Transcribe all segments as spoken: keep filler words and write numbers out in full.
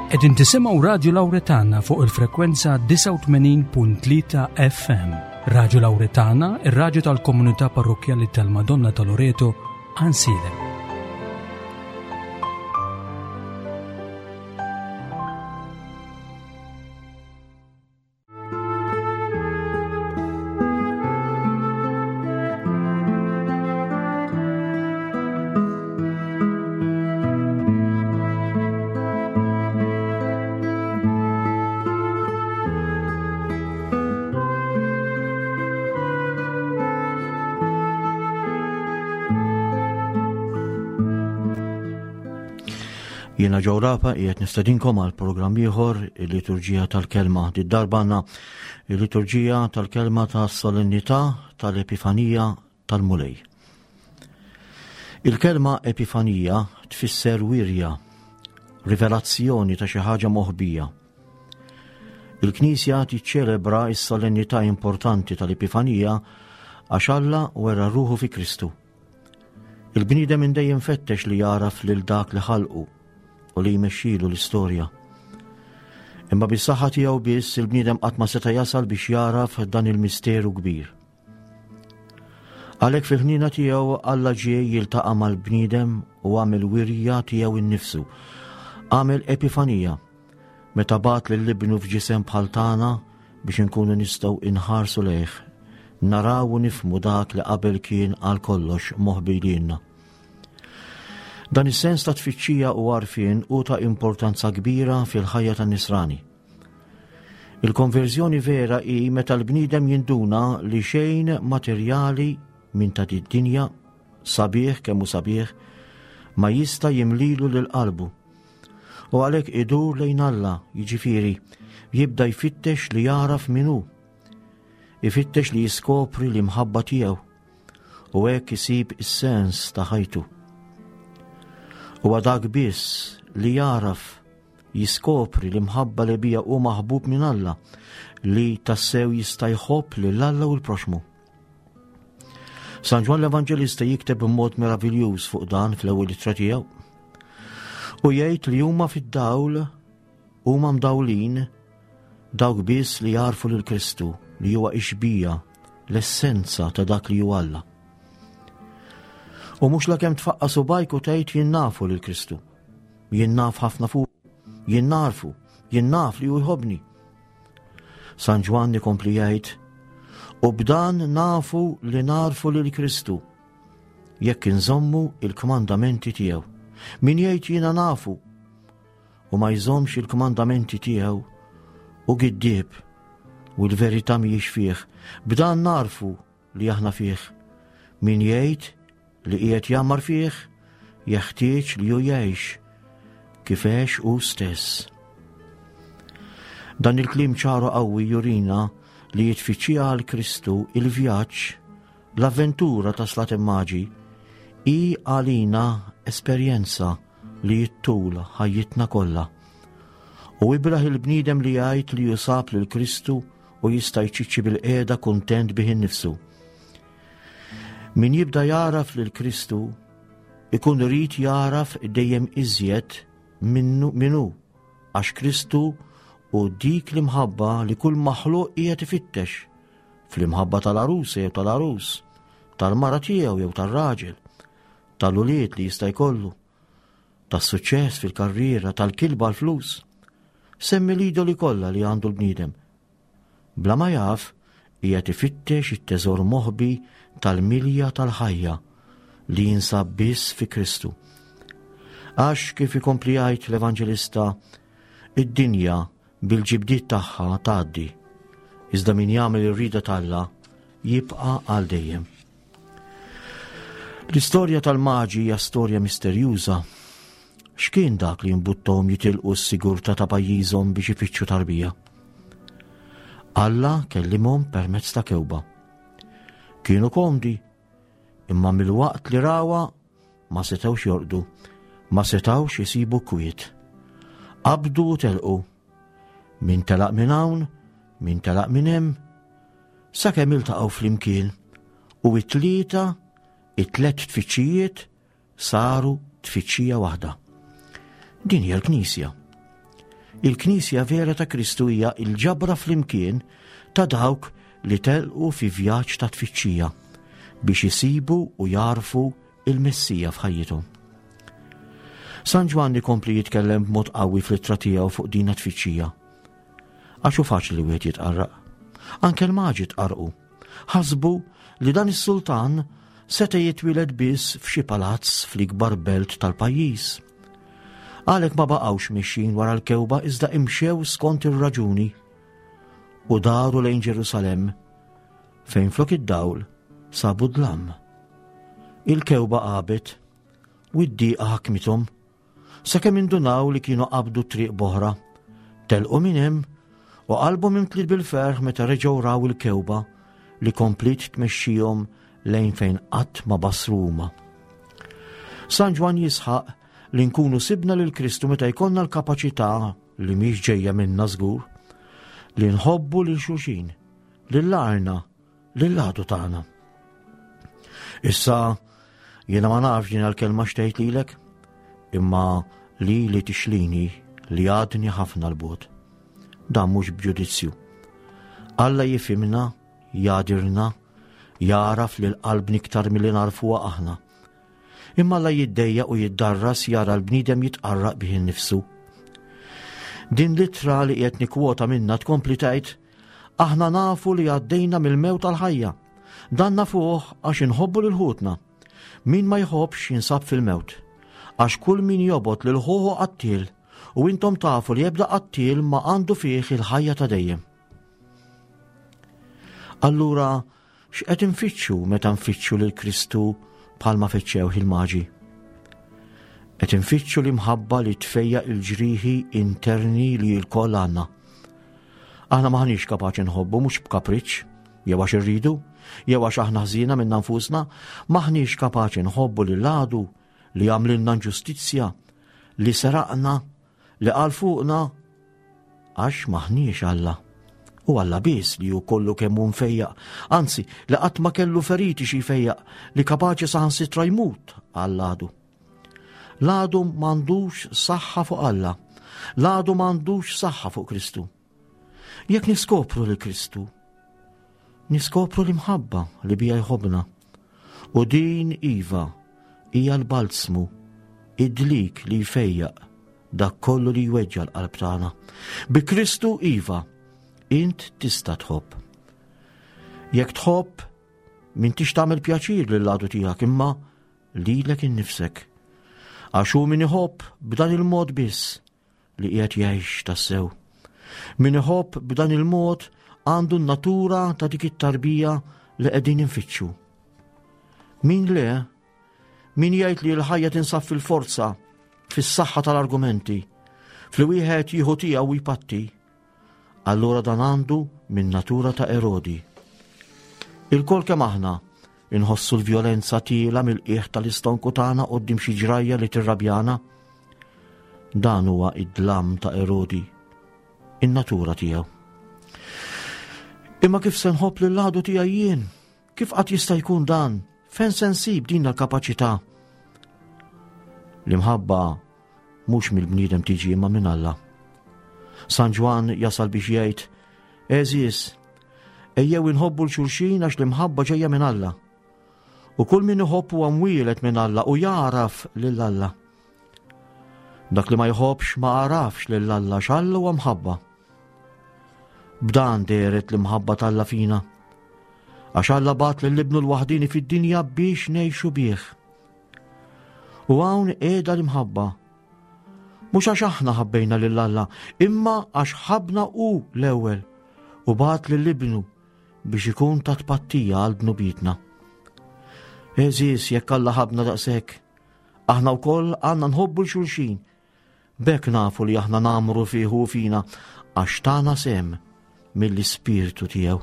Qegħdin tisimgħu Radju Lawretana fuq il-frekwenza disgħa u tmenin punt tlieta F M. Radju Lawretana, ir-radju tal-komunità parrokkjali tal-Madonna ta' Loreto, Għajnsielem. Jiena Joe Rapa qiegħed nistedinkom għal programm ieħor, il-liturġija tal-kelma. Did-darba għandna il-liturġija tal-kelma tas-solennità tal-Epifanija tal-Mulej. Il-kelma Epifanija tfisser wirja, rivelazzjoni ta' xi ħaġa moħbija. Il-Knisja tiċċelebra s-solennità importanti tal-Epifanija għax Alla wera ruħu fi Kristu. Il-bniedem minn dejjem fettex li jaraf lil dak li ħalqu u li jmexxilu l-istorja. Imma bis-saħħa tiegħu biss il-bniedem qatt ma seta' jasal biex jaraf dan il-misteru kbir. Għalhekk fil-ħniena tiegħu Alla ġie jiltaqa' mal-bniedem u għamel wirja tiegħu innifsu. Għamel epifanija meta bagħat lil ibnu f'ġisem bħal tagħna biex inkunu nistgħu inħarsu lejh, naraw u nifhmu dak li qabel kien għal kollox moħbi lilna. Dan is-sens ta' tfittxija u għarfien hu ta' importanza kbira fil-ħajja tan-nisrani. Il-konverżjoni vera hi meta l-bniedem jinduna li xejn materjali minn ta' d-dinja, sabiħ kemm hu sabiħ, ma jista' jimlilu lil qalbu. U għalhekk idur lejn Alla, jiġifieri, jibda jfittex li jaraf min hu. Ifittex li jiskopri l-imħabba tiegħu u hekk isib is-sens ta' ħajtu. Huwa dak biss li jaraf jiskopri l-imħabba li bija hu maħbub minn Alla li tassew jista' jħobb lil Alla u l-proxmu. San Ġwann l-Evanġelista jikteb b'mod meraviljuż fuq dan fl-ewwel ittra tiegħu. U jgħid li huma fid-dawl, huma mdawlin dawk biss li jarfu lil Kristu li huwa ix-xbieha, l-essenza ta' dak li hu Alla. U mhux lakemm tfaqqa' subajk u tgħid jien nafu lil Kristu. Jien naf ħafna fuq, jien narfu, jien naf li hu jħobbni. San Ġwann ikompli jgħid, u b'dan nafu li narfu lil Kristu, jekk inżommu il-kmandamenti tiegħu. Min jgħid jiena nafu u ma jżommx il-kmandamenti tiegħu u giddieb u l-verità mhijiex fih, b'dan narfu li aħna fih. Min jgħid li qiegħed jagħmar fih, jeħtieġ li hu jgħix kif għex hu stess. Dan il-kliem ċaru qawwi jurina li jitfittxija għal Kristu il-vjaġġ, l-avventura ta' Slat Immaġi, hi għalina esperjenza li jittul ħajjitna kollha. U ibraħ il-bniedem li jgħid li jusab lil Kristu u jista' jċiċċi bil-qiegħda kuntent bih innifsu. Min jibda jaraf lil Kristu ikun irid jaraf dejjem iżjed minnu minnu, għax Kristu u dik l-imħabba li kull maħluq qiegħed ifittex, fl-imħabba tal-għarusa jew tal-għarus, tal-mara tiegħu jew tar-raġel, tal-ulied li jista' jkollu, tas-suċċess fil-karriera, tal-kilba l-flus. Semmi l-idoli kollha li għandu l-bniedem. Bla ma jaf, qiegħed ifittex it-teżor moħbi tal-milja tal-ħajja li jinsab biss fi Kristu. Għax kif ikompli jgħid l-Evanġelista, id-dinja bil-ġibdiet tagħha tgħaddi, iżda min jagħmel ir-rieda t'Alla jibqa' għal dejjem. L-istorja tal-maġi hija storja misterjuża. X'kien dak li jimbuttahom jitilqu s-sigurtà ta' pajjiżhom biex ifittxu tarbija? Alla kellimhom permezz ta' kewba. Kienu komdi, imma mill-waqt li rawa ma setgħux jorqdu, ma setgħux isibu kwiet. Qabdu u telqu. Min telaq minn hawn, min telaq minn hemm, sakemm iltaqgħu flimkien u it-tlieta, it-tliet tfittxijiet saru tfittxija waħda. Din hija l-Knisja. Il-Knisja vera ta' Kristu hija il-ġabra flimkien ta' dawk li telqu fi vjaġġ ta' tfittxija biex isibu u jarfu il-Messija f'ħajjithom. San Ġwann ikompli jitkellem b'mod qawwi fl-ittra tiegħu fuq din tfittxija. Għax hu faċli wieħed jitqarraq. Anke l-maġi tqarrqu. Ħasbu li dan is-sultan seta' jitwieled biss f'xi palazz fl-ikbar belt tal-pajjiż. Għalhekk ma baqgħux mixjin wara l-kewba iżda imxew skont ir-raġuni u daru lejn Ġerusalemm fejn flok id-dawl sabu dlam. Il-kewba għabet u d-diqa ħakmithom sakemm indunaw li kienu qabdu triq b'oħra. Telqu minn hemm u qalbhom imtliet bil-ferħ meta reġgħu raw il-kewba li kompliet tmexxihom lejn fejn qatt ma basru huma. San Ġwann jisħaq li nkunu sibna lil Kristu meta jkollna l-kapaċità li mhix ġejja minna żgur li nħobbu lil xulxin, lil għajrna, lil għadu tagħna. Issa jiena ma nafx din l-kelma x'tgħid lilek, imma li li tixlini li għadni ħafna 'l bogħod. Dan mhux b'ġudizzju. Alla jifhimna, jagħdirna, jagħraf lil qalbna iktar milli narfuha aħna. Imma Alla jiddejjaq u jiddarras jara l-bniedem jitqarraq bih innifsu. Din l-ittra li qiegħed nikkwota minna tkompli tgħid, aħna nafu li għaddejna mill-mewt għall-ħajja. Dan nafuh għax inħobbu lil ħutna. Min ma jħobbx jinsab fil-mewt. Għax kull min jobgħod lil ħuh qattiel, u intom tafu li ebda qattiel ma għandu fih il-ħajja ta' dejjem. Allura, x'qed infittxu meta nfittxu lil Kristu bħalma fittxew il-maġi? Qed infittxu l-imħabba li tfejjaq il-ġrieħi interni li lkoll għandna. Aħna maħniex kapaċi nħobbu mhux b'kapriċċ, jew għax irridu, jew għax aħna ħżiena minna nfusna, maħniex kapaċi nħobbu lil għadu li għamlilna inġustizzja, li seraqna, li qal fuqna, għax maħniex Alla. U Alla biss li hu kollu kemm hu mfejjaq, anzi li qatt ma kellu feriti xi jfejjaq, li kapaċi saħansitra jmut għall-għadu. L-għadu m'għandux saħħa fuq Alla, l-għadu m'għandux saħħa fuq Kristu. Jekk niskopru lil Kristu, niskopru l-imħabba li bija jħobbna. U din iva hija l-balzmu, id-dlik li jfejjaq dak kollu li jweġġa l-qalb tagħna. Bi Kristu iva, int tista' tħobb. Jekk tħobb, m'intix tagħmel pjaċir lill-għadu tiegħek imma lilek innifsek. Għax hu min iħobb b'dan il-mod biss li qiegħed jgħix tassew. Min iħobb b'dan il-mod għandu n-natura ta' dik it-tarbija li qegħdin infittxu. Min le, min jgħid li l-ħajja tinsab fil-forza, fis-saħħa tal-argumenti, fli wieħed jieħu tiegħu u jpatti, allura dan għandu min natura ta' Erodi. Ilkoll kemm aħna inħossu l-vjolenza tiela mill-qiegħ tal-istonku tagħna quddiem xi ġrajja li tirrabjana. Dan huwa id-dlam ta' Erodi, in-natura tiegħu. Imma kif se nħobb lil għadu tiegħi jien? Kif qatt jista' jkun dan? Fejn se nsib din l-kapaċità? L-imħabba mhux mill-bniedem tiġi imma minn Alla. San Ġwann jasal biex jgħid, Għeżież, ejjew inħobbu 'l xulxin għax l-imħabba ġejja minn Alla. U kull min iħobb huwa mwieled minn Alla u jagħraf lil Alla. Dak li ma jħobbx ma għarafx lil Alla għax Alla huwa mħabba. B'dan dehret l-imħabba t'Alla fina, għax Alla bagħat lil ibnu l-waħdini fid-dinja biex ngħixu bih. U hawn qiegħda l-imħabba. Mhux għax aħna ħabbejna lil Alla, imma għax ħabbna hu l-ewwel u bagħat lil ibnu biex ikun ta' tpattija għal dnubietna. Għeżież, jekk Alla ħabbna daqshekk, aħna wkoll għandna nħobbu 'l xulxin. B'hekk nafu li aħna ngħammru fih u fina għax tana sehem mill-ispirtu tiegħu.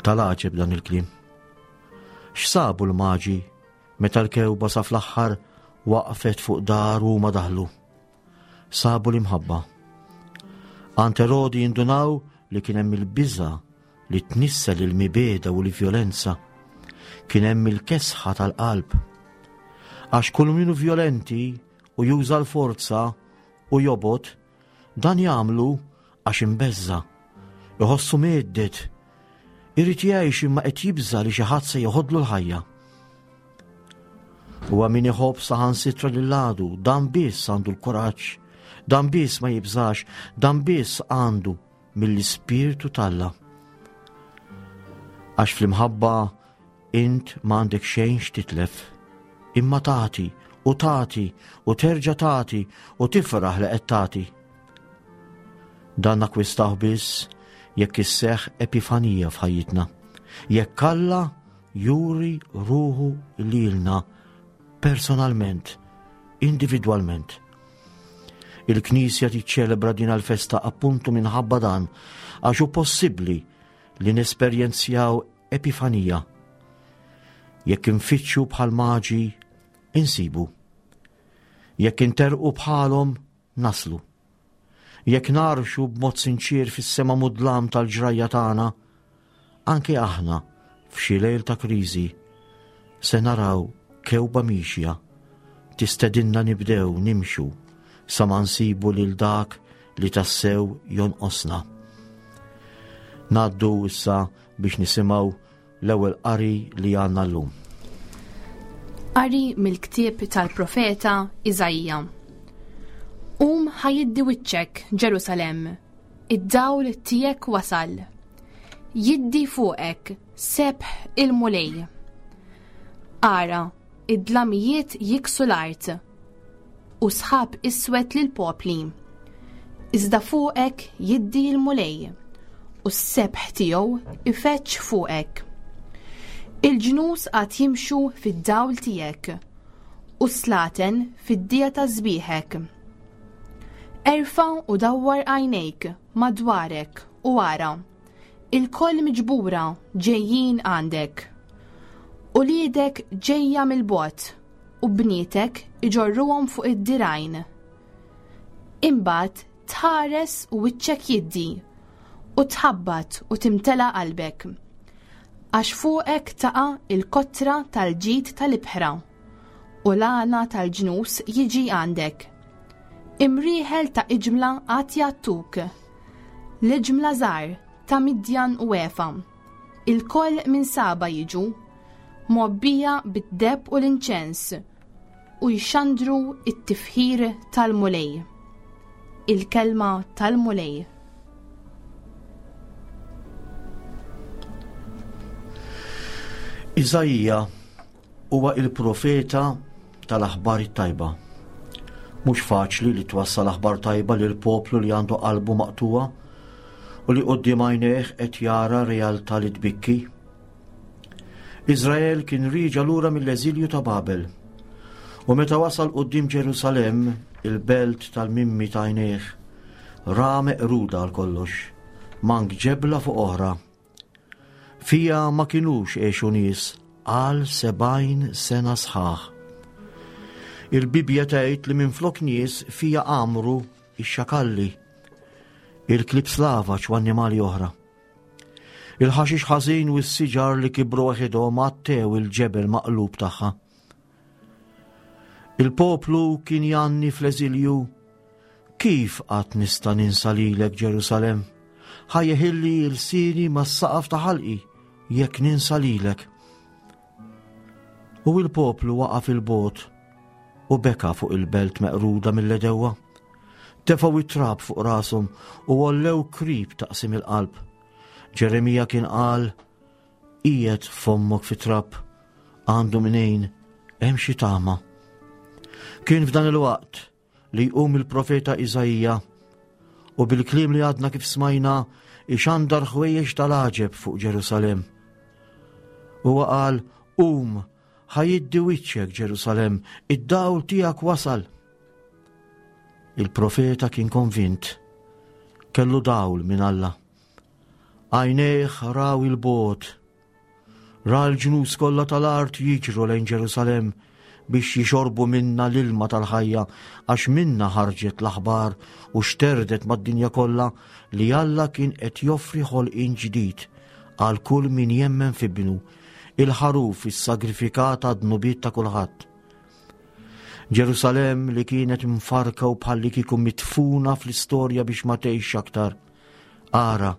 Tal-għaġeb dan il-kliem. X'sabu l-maġi meta l-kewba sa fl-aħħar waqfet fuq dar u ma daħlu? Sabu l-imħabba. Għand Erodi jindunaw li kien hemm il-biża' li tnissel il-mibegħda u l-vjolenza. Kien hemm il-kesħa tal-qalb. Għax kull min hu vjolenti u juża l-forza u jobgħod, dan jagħmlu għax imbeżża', iħossu mhedded, irid jgħix imma qed jibża' li xi ħadd se joħodlu l-ħajja. Huwa min iħobb saħansitra lil għadu, dan biss għandu l-kuraġġ, dan biss ma jibżax, dan biss għandu mill-Ispirtu t'Alla. Għax fl-imħabba int ma għandek xejn x'titlef, imma tagħti u tagħti u terġa' tagħti u tifraħ li qed tagħti. Dan nakkwistaw biss jekk isseħħ epifanija f'ħajjitna, jekk Alla juri ruħu lilna personalment, individwalment. Il-Knisja tiċċelebra din il-festa appuntu minħabba dan, għax hu possibbli li nesperjenzjaw epifanija. Jekk infittxu bħal maġi, insibu. Jekk interqu bħalhom, naslu. Jekk narxu b'mod sinċir fis-sema mudlam tal-ġrajja tagħna, anke aħna f'xi lejl ta' kriżi se naraw kewba mixja tistedinna nibdew nimxu sa ma nsibu lil dak li tassew jonqosna. Ngħaddu issa biex nisimgħu l-ewwel qari li għandna llum. Qari mill-ktieb tal-profeta Iżaija. Qum ħa jiddi wiċċek, Ġerusalemm, id-dawl tiegħek wasal. Jiddi fuqek sebħ il-Mulej. Ara, id-dlamijiet jiksu l-art u sħab iswed lill-popli. Iżda fuqek jiddi l-Mulej u s-sebħ tiegħu ifeġġ fuqek. Il-ġnus għad jimxu fid-dawl tiegħek u slaten fid-dija ta' sbieħek. Erfa' u dawwar għajnejk madwarek u ara, ilkoll miġbura ġejjin għandek. Uliedek ġejja mill-bogħod u bnietek iġorruhom fuq id-dirgħajn. Imbagħad tħares u wiċċek jiddi u tħabbat u timtela qalbek. Għax fuqek taqa' il-kotra tal-ġid tal-ibħra u l-għana tal-ġnus jiġi għandek. Imrieħel ta' iġmla għad jgħattuk, l-iġmla żgħar ta' Midjan u Efa. Ilkoll minn Saba jiġu, mgħobbija bid-deheb u l-inċens u jxandru it-tifħir tal-Mulej. Il-kelma tal-Mulej. Iżaija huwa il-profeta tal-aħbar it-tajba. Mhux faċli li twassal aħbar tajba lil poplu li għandu qalbu maqtuwa u li quddiem għajnejh qed jara realtà li tbikki. Iżrael kien riġa lura mill-eżilju ta' Babel u meta wasal quddiem Ġerusalemm, il-belt tal-mimmi ta' għajnejh, ra meqruda għal kollox, mank ġebla fuq oħra. Fija ma kinux għexu nies għal sebgħin sena sħaħ. Il-Bibja tgħid li minflok nies fija għamru ix-xakalli, il-klib slavaġ u annimali oħra. Il-ħaxix ħażin u s-siġar li kibru waħedhom għattew il-ġebel maqlub tagħha. Il-poplu kien janni fl-eżilju, kif qatt nista' ninsa lilek Ġerusalemm? Ħa jeħilli l-sini mas-saqaf ta' ħalqi jekk ninsa lilek. U il-poplu waqaf il-bot u beka fuq il-belt meqruda mill-edewwa. Tefgħu it-trab fuq rashom u għollew krib taqsim il-qalb. Ġeremija kien qal, qiegħed fommok fi trab, għandu mnejn hemm xi tama. Kien f'dan il-waqt li jqum il-profeta Iżaija u bil-kliem li għadna kif smajna ixandar ħwejjeġ tal-għaġeb fuq Ġerusalemm. Huwa qal, qum, ħa jiddi wiċċek Ġerusalemm, id-dawl tiegħek wasal. Il-profeta kien konvint, kellu dawl minn Alla. Għajnejh raw il-bogħod, ra l-ġnus kollha tal-art jiġru lejn Ġerusalemm biex jixorbu minna l-ilma tal-ħajja, għax minna ħarġet l-aħbar u xterdet mad-dinja kollha li Alla kien qed joffri ħolqien ġdid għal kull min jemmen f'ibnu, il-ħaruf is-sagrifikat għad-dnubiet ta' kulħadd. Ġerusalemm li kienet mfarka u bħalli kieku mitfuna fl-istorja biex ma tgħix aktar. Ara,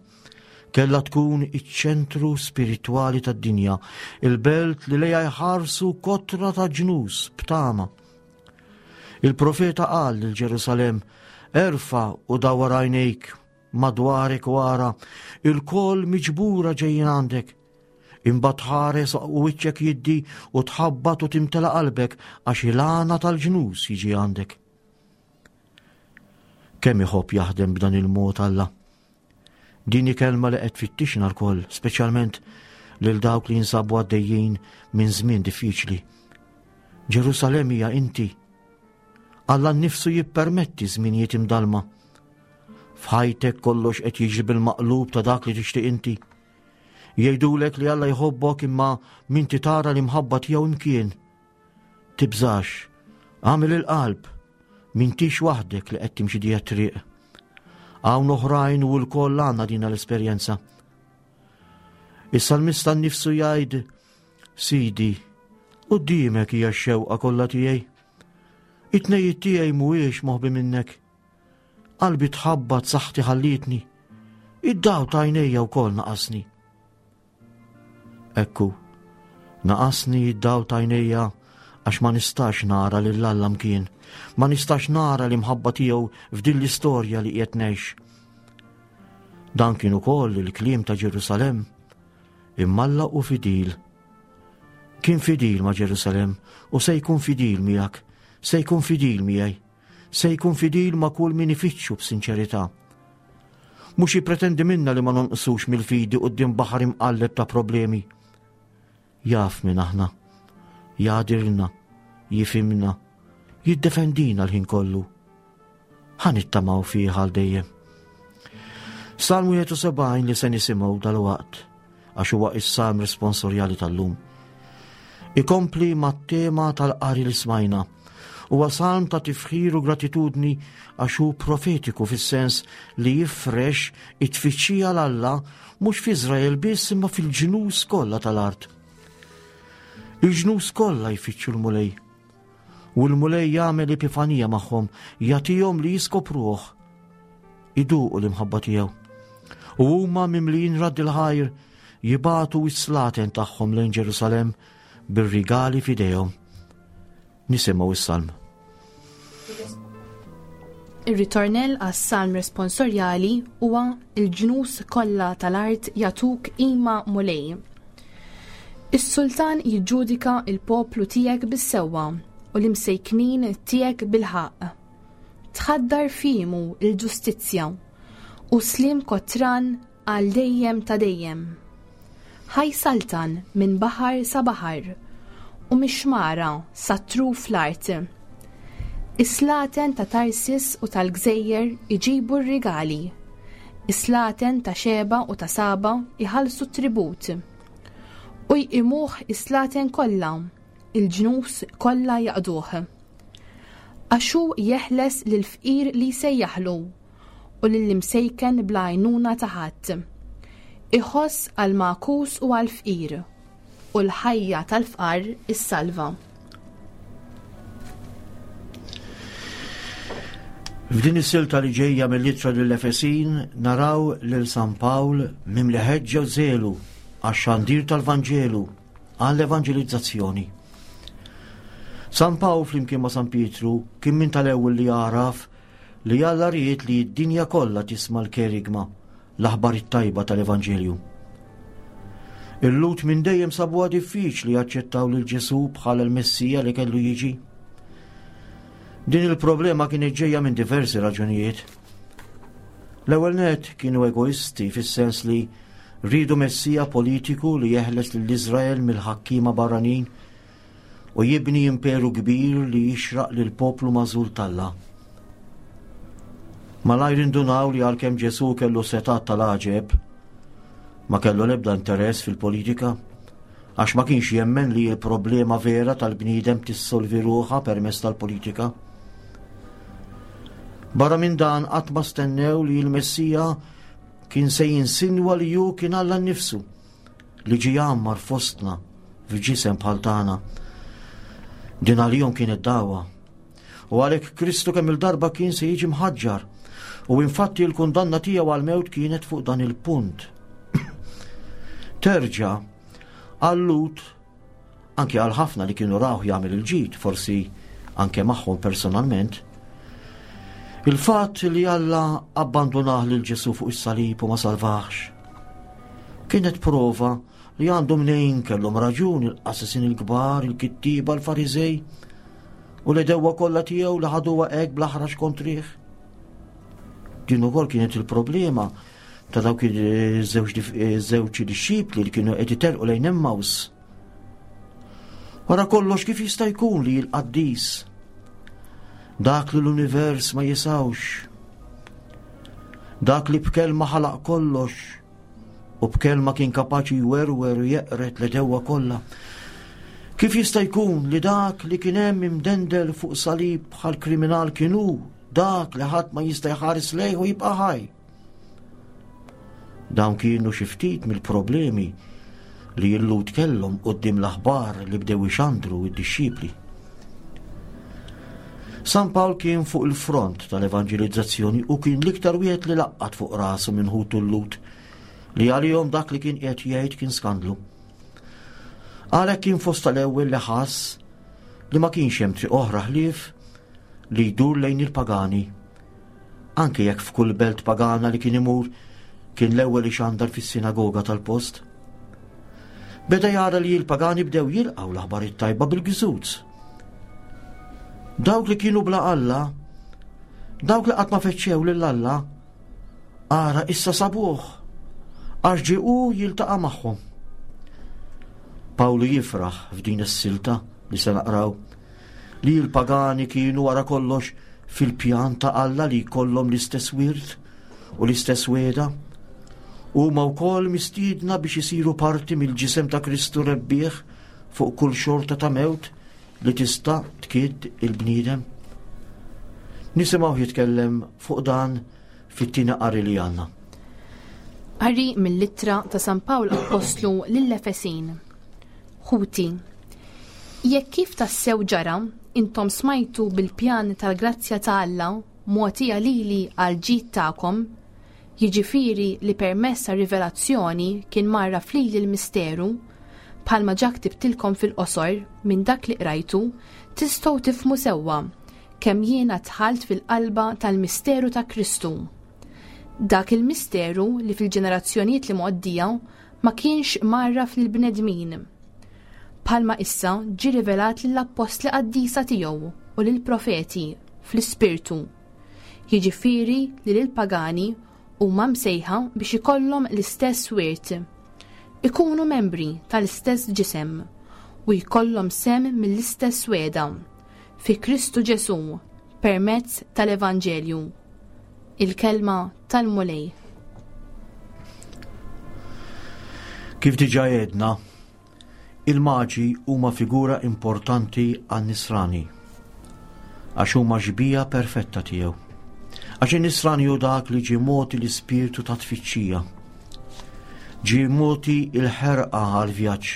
kellha tkun iċ-ċentru spiritwali tad-dinja, il-belt li lejha jħarsu kotra ta' ġnus b'tama. Il-profeta qal lil Ġerusalemm, erfa' u dawwar għajnejk madwarek u ara, il-koll miġbura ġejjin għandek. Imbagħad tħares u wiċċek jiddi u tħabbat u timtela qalbek għax il-għana tal-ġnus jiġi għandek. Kemm iħobb jaħdem b'dan il-mod Alla. Din hi kelma li qed tfittixna lkoll, speċjalment lil dawk li jinsabu għaddejjin minn żmien diffiċli. Ġerusalemm hija inti. Alla nnifsu jippermetti żminijiet imdalma. F'ħajtek kollox qed jiġri bil-maqlub ta' dak li tixtieq inti. Jgħidulek li Alla jħobbok imma m'inti tara l-imħabba tiegħu imkien. Tibżax, agħmel il-qalb, m'intix waħdek li qed timxi dija triq. Hawn oħrajn u lkoll għandna din l-esperjenza. Is-salmista nnifsu jgħid, Sidi, quddiemek hija x-xewqa kollha tiegħi. It-tnejjiet tiegħi mhuwiex moħbi minnek. Qalbi tħabbat saħħti ħallietni. Id-dawl ta' għajnejja wkoll naqasni. Ekku, naqasni id-dawl ta' għajnejja għax ma nistax nara lil Alla mkien, ma nistax nara l-imħabba tiegħu f'din l-istorja li qiegħed ngħix. Dan kien ukoll il-kliem ta' Ġerusalemm, imma Alla hu fidil. Kien fidil ma' Ġerusalemm u se jkun fidil miegħek, se jkun fidil miegħi, se jkun fidil ma' kull min ifittxu b'sinċerità. Mhux jippretendi minna li ma nonqsux mill-fidi quddiem baħar imqalleb ta' problemi. Jaf min aħna, jagħdirna, jifhimna, jiddefendina l-ħin kollu. Ħa nittamaw fih għal dejjem. Salm wieħed u sebgħin li se nisimgħu dalwaqt, għax huwa is-salm responsorjali tal-lum. Ikompli mat-tema tal-qari li smajna. Huwa salm ta' tifħir u gratitudni għax hu profetiku fis-sens li jifrex it-tfittxija 'l Alla mhux f'Iżrael biss imma fil-ġnus kollha tal-art. Il-ġnus kollha jfittxu l-Mulej. U l-Mulej jagħmel epifanija magħhom, jagħtihom li jiskopruh, iduqu l-imħabba tiegħu. U huma mimlijin radd il-ħajr jibagħtu s-slaten tagħhom lejn Ġerusalemm bir-rigali f'idejhom. Nisimgħu is-salm. Ir-ritornell għas-salm responsorjali huwa il-ġnus kollha tal-art jagħtuk qima Mulej. Is-sultan jiġġudika il-poplu tiegħek bis-sewwa u l-imsejknin tiegħek bil-ħaqq. Tħaddar fimu il-ġustizzja u slim kotran għal dejjem ta' dejjem. Ħaj saltan minn baħar sa baħar u mix-xmara sa truf l-art. Is-slaten ta' Tarsis u tal-Gżejjer iġibu r-rigali. Is-slaten ta' Xeba u ta' Saba iħallsu tribut. U jqimuh is-slaten kollha, il-ġnus kollha jaqduh. Għax hu jeħles lill-fqir li jsejjaħlu u lill-imsejken bla għajnuna ta' ħadd. Iħoss għall-magħkus u għall-fqir, u l-ħajja tal-fqar issalva. F'din is-silta li ġejja mill-ittra lill-Efesin naraw lil San Pawl mimli ħeġġa u żelu għax-xandir tal-Vanġelu, għall-evanġelizzazzjoni. San Pawl flimkien ma' San Pietru kien minn tal-ewwel li għaraf li Alla ried li d-dinja kollha tisma' l-kerigma, l-aħbar it-tajba tal-Evanġelju. Il-Lhud minn dejjem sabuha diffiċli jaċċettaw lil Ġesù bħala l-Messija li kellu jiġi. Din il-problema kienet ġejja minn diversi raġunijiet. L-ewwel nett kienu egoisti fis-sens li rridu Messija politiku li jeħles lil Iżrael mill-ħakkiema barranin u jibni imperu kbir li jixraq lil poplu magħżul t'Alla. Malajr indunaw li għalkemm Ġesù kellu setat tal-għaġeb, ma kellu l-ebda interess fil-politika, għax ma kienx jemmen li l-problema vera tal-bniedem tissolvi ruħha permezz tal-politika. Barra minn dan qatt ma stennew li l-Messija kien se jinsinwa li hu kien Alla nnifsu li ġie jgħammar fostna f'ġisem bħal tagħna. Din għalihom kienet dagħwa. U għalhekk Kristu kemm il-darba kien se jiġi mħaġġar. U infatti l-kundanna tiegħu għal-mewt kienet fuq dan il-punt. Terġa' għal-Lhud anke għal ħafna li kienu rawh jagħmel il-ġid, forsi anke magħhom personalment, il-fatt li Alla abbandunah lil Ġesu fuq is-salib u ma salvax. Kienet prova li għandu mnejn kellhom raġun il-qassisin il-kbar, il-kittiba, l-Fariżej u l-għedewwa kollha tiegħu li ħaduha hekk bl-aħrax kontrih. Din ukoll kienet il-problema ta' dawk iż-żewġ dixxipli li kienu qed iterqu lejn Emmaus. Wara kollox kif jista' jkun li l-qaddis dak li l-univers ma jisawx, dak li b'kelma ħalaq kollox u b'kelma kien kapaċi jwerwer u jeqret l-għedewwa kollha. Kif jista' jkun li dak li kien hemm imdendel fuq salib bħal kriminal kien hu dak li ħadd ma jista' jħares lejh u jibqa' ħaj? Dawn kienu xi ftit mill-problemi li l-Lhud kellhom quddiem l-aħbar li bdew ixandru id-dixxipli. San Pawl kien fuq il-front tal-evanġelizzazzjoni u kien l-iktar wieħed li laqqat fuq rasu minn ħutu l-Lhud li għalihom dak li kien qiegħed jgħid kien skandlu. Għalhekk kien fost tal-ewwel li ħass li ma kienx hemm triq oħra ħlief li jdur lejn il-pagani. Anke jekk f'kull belt pagana li kien imur kien l-ewwel ixandar fis-sinagoga tal-post. Beda jara li l-pagani bdew jilqgħu l-aħbar it-tajba bil-gżuz. Dawk li kienu bla Alla, dawk li qatt ma fettxew lil Alla, ara issa sabuh, għax ġie hu jiltaqa' magħhom. Pawlu jifraħ f'din is-silta li se naqraw li l-pagani kienu wara kollox fil-pjan ta' Alla li jkollhom l-istess wirt u l-istess wegħda. Huma wkoll mistiedna biex isiru parti mill-ġisem ta' Kristu rebbieħ fuq kull xorta ta' mewt li tista' tkidd il-bniedem. Nisimgħu jitkellem fuq dan fit-tieni qari li għandna. Qari mill-ittra ta' San Pawl Appostlu lill-Efesin. Ħuti, jekk kif tassew ġara, intom smajtu bil-pjan tal-grazzja ta' Alla mogħtija lili għal ġid tagħkom, jiġifieri li permezz ta' rivelazzjoni kien mgħarraf lili l-misteru, bħalma ġa ktibtilkom fil-qosor minn dak li qrajtu, tistgħu tifhmu sewwa kemm jiena dħalt fil-qalba tal-misteru ta' Kristu. Dak il-misteru li fil-ġenerazzjonijiet li mgħoddija ma kienx mgħarraf lill-bnedmin. Bħalma issa ġie rivelat lill-appostli qaddisa tiegħu u lill-profeti fl-ispirtu. Jiġifieri li lill-pagani huma msejħa biex ikollhom l-istess wirt. Ikunu membri tal-istess ġisem u jkollhom sehem mill-istess wegħda fi Kristu Ġesu permezz tal-Evanġelju. Il-kelma tal-Mulej. Kif diġà għedna, il-maġi huma figura importanti għan-nisrani għax huma xbieha perfetta tiegħu. Għax in-nisrani hu dak li ġie mogħti l-ispirtu ta' tfittxija. Ġie mogħti il-ħerqa għal-vjaġġ.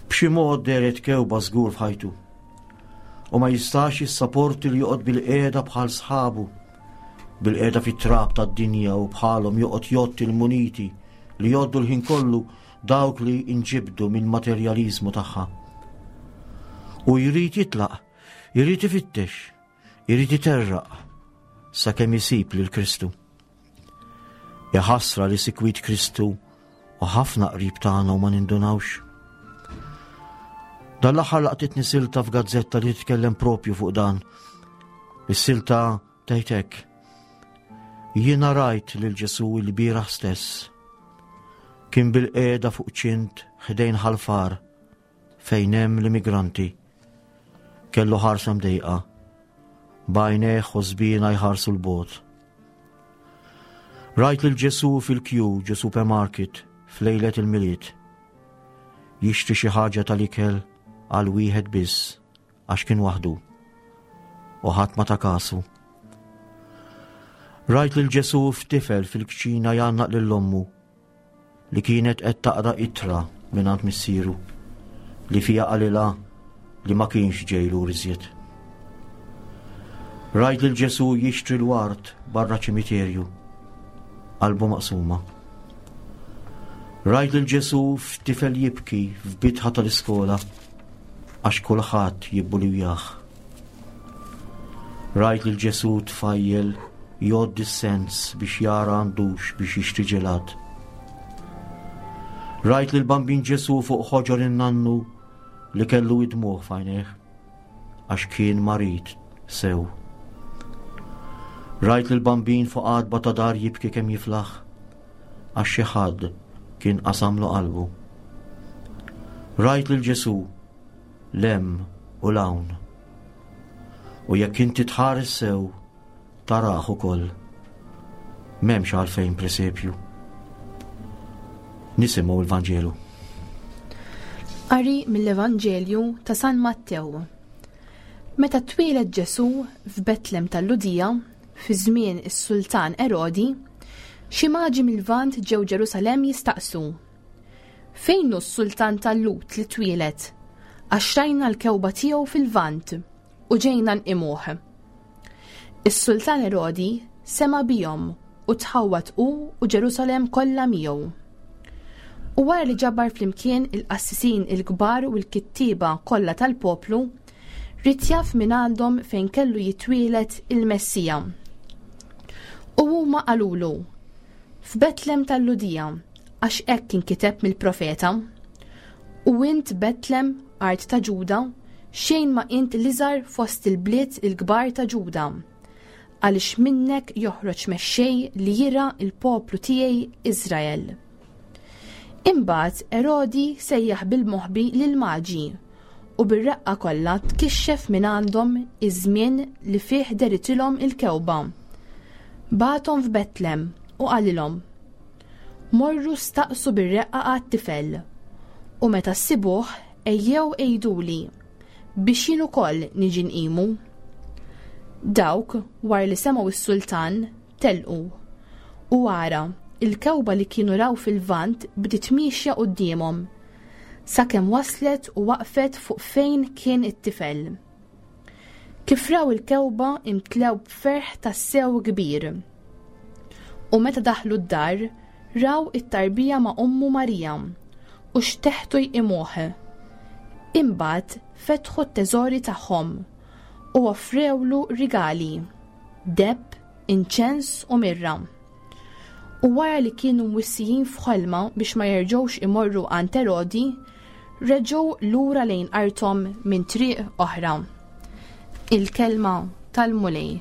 B'xi mod dehret kewba żgur f'ħajtu. U ma jistax jissaporti li joqgħod bil-qiegħda bħal sħabu, bil-qiegħda fit-trab tad-dinja u bħalhom joqgħod jgħodd il-muniti li jgħoddu l-ħin kollu dawk li inġibdu minn materjalizmu tagħha. U jrid jitlaq, jrid ifittex, jrid iterraq sakemm isib lil Kristu. Jaħasra li sikwit Kristu u ħafna qrib tagħna u ma nindunawx. Dan l-aħħar laqtitni silta f'gazzetta li titkellem propju fuq dan. Is-silta tgħid hekk. Jiena rajt lil Ġesu l-bieraħ stess. Kien bil-qiegħda fuq ċint ħdejn ħalfar fejn hemm l-immigranti. Kellu ħarsa mdejqa. B'għajnejh u żbina jħarsu l-bogħod. Rajt lil Ġesu fil-kju ġo supermarket f'lejlet il-Milied. Jixtri xi ħaġa tal-ikel għal wieħed biss għax kien waħdu u ħadd ma ta kasu. Rajt lil Ġesu f'tifel fil-kċina jgħannaq lil ommu li kienet qed taqra ittra mingħand missieru li fiha qalilha li ma kienx ġej lura iżjed. Rajt lil Ġesù jixtri l-ward barra ċimiterju, qalbu maqsuma. Rajt lil Ġesù f'tifel jibki f'bitħa tal-iskola għax kulħadd jibbulijah. Rajt lil Ġesù tfajjel jgħodd is-cents biex jara għandux biex jixtri ġelat. Rajt lil Bambin Ġesù fuq ħoġor in-nannu li kellu id-dmugħ f'għajnejh għax kien marid sew. Rajt lil Bambin fuq għatba ta' dar jibki kemm jiflaħ għax xi ħadd kien qasamlu qalbu. Rajt lil Ġesù 'l hemm u 'l hawn. U jekk inti tħares sew tarah ukoll. M'hemmx għalfejn presepju. Nisimgħu l-Vanġelu. Qari mill-Evanġelju ta' San Mattew. Meta twieled Ġesù f'Betlem tal-Lhudija, fi żmien is-Sultan Erodi, xi maġi mil-Lvant ġew Ġerusalemm jistaqsu: "Fejn hu s-Sultan tal-Lhud li twieled? Għax rajna l-kewba tiegħu fil-Lvant u ġejna nqimuh." Is-Sultan Erodi sema' bihom u tħawwad hu u Ġerusalemm kollha miegħu. U wara li ġabar flimkien il-qassisin il-kbar u l-kittieba kollha tal-poplu, ried jaf minn għandhom fejn kellu jitwieled il-Messija. U huma qalulu: "F'Betlem tal-Lhudija, għax hekk inkiteb mill-profeta. U int Betlem, art ta' Ġuda, xejn ma int l-iżgħar fost il-bliet il-kbar ta' Ġuda, għaliex minnek joħroġ mexxej li jirgħa l-poplu tiegħi Iżrael." Imbagħad Erodi sejjaħ bil-moħbi lil-maġi u bir-reqqa kollha tkixxef minn għandhom iż-żmien li fih dehritilhom il-kewba. Bagħathom f'Betlem u qalilhom: "Morru staqsu bir-reqqa għat-tifel, u meta ssibuh ejjew għiduli biex jien ukoll niġi nqimu." Dawk, wara li semgħu is-sultan, telqu. U ara, il-kewba li kienu raw fil-Lvant bdiet miexja quddiemhom, sakemm waslet u waqfet fuq fejn kien it-tifel. Kif raw il-kewba imtlew b'ferħ tassew kbir. U meta daħlu d-dar, raw it-tarbija ma' ommu Marija u xteħtu jqimuh. Imbagħad fetħu t-teżori tagħhom u offrewlu rigali, deheb, inċens u mirra. U wara li kienu mwissijin f'ħolma biex ma jerġgħux imorru għand Erodi, reġgħu lura lejn arthom minn triq oħra. Il-kelma tal-Mulej.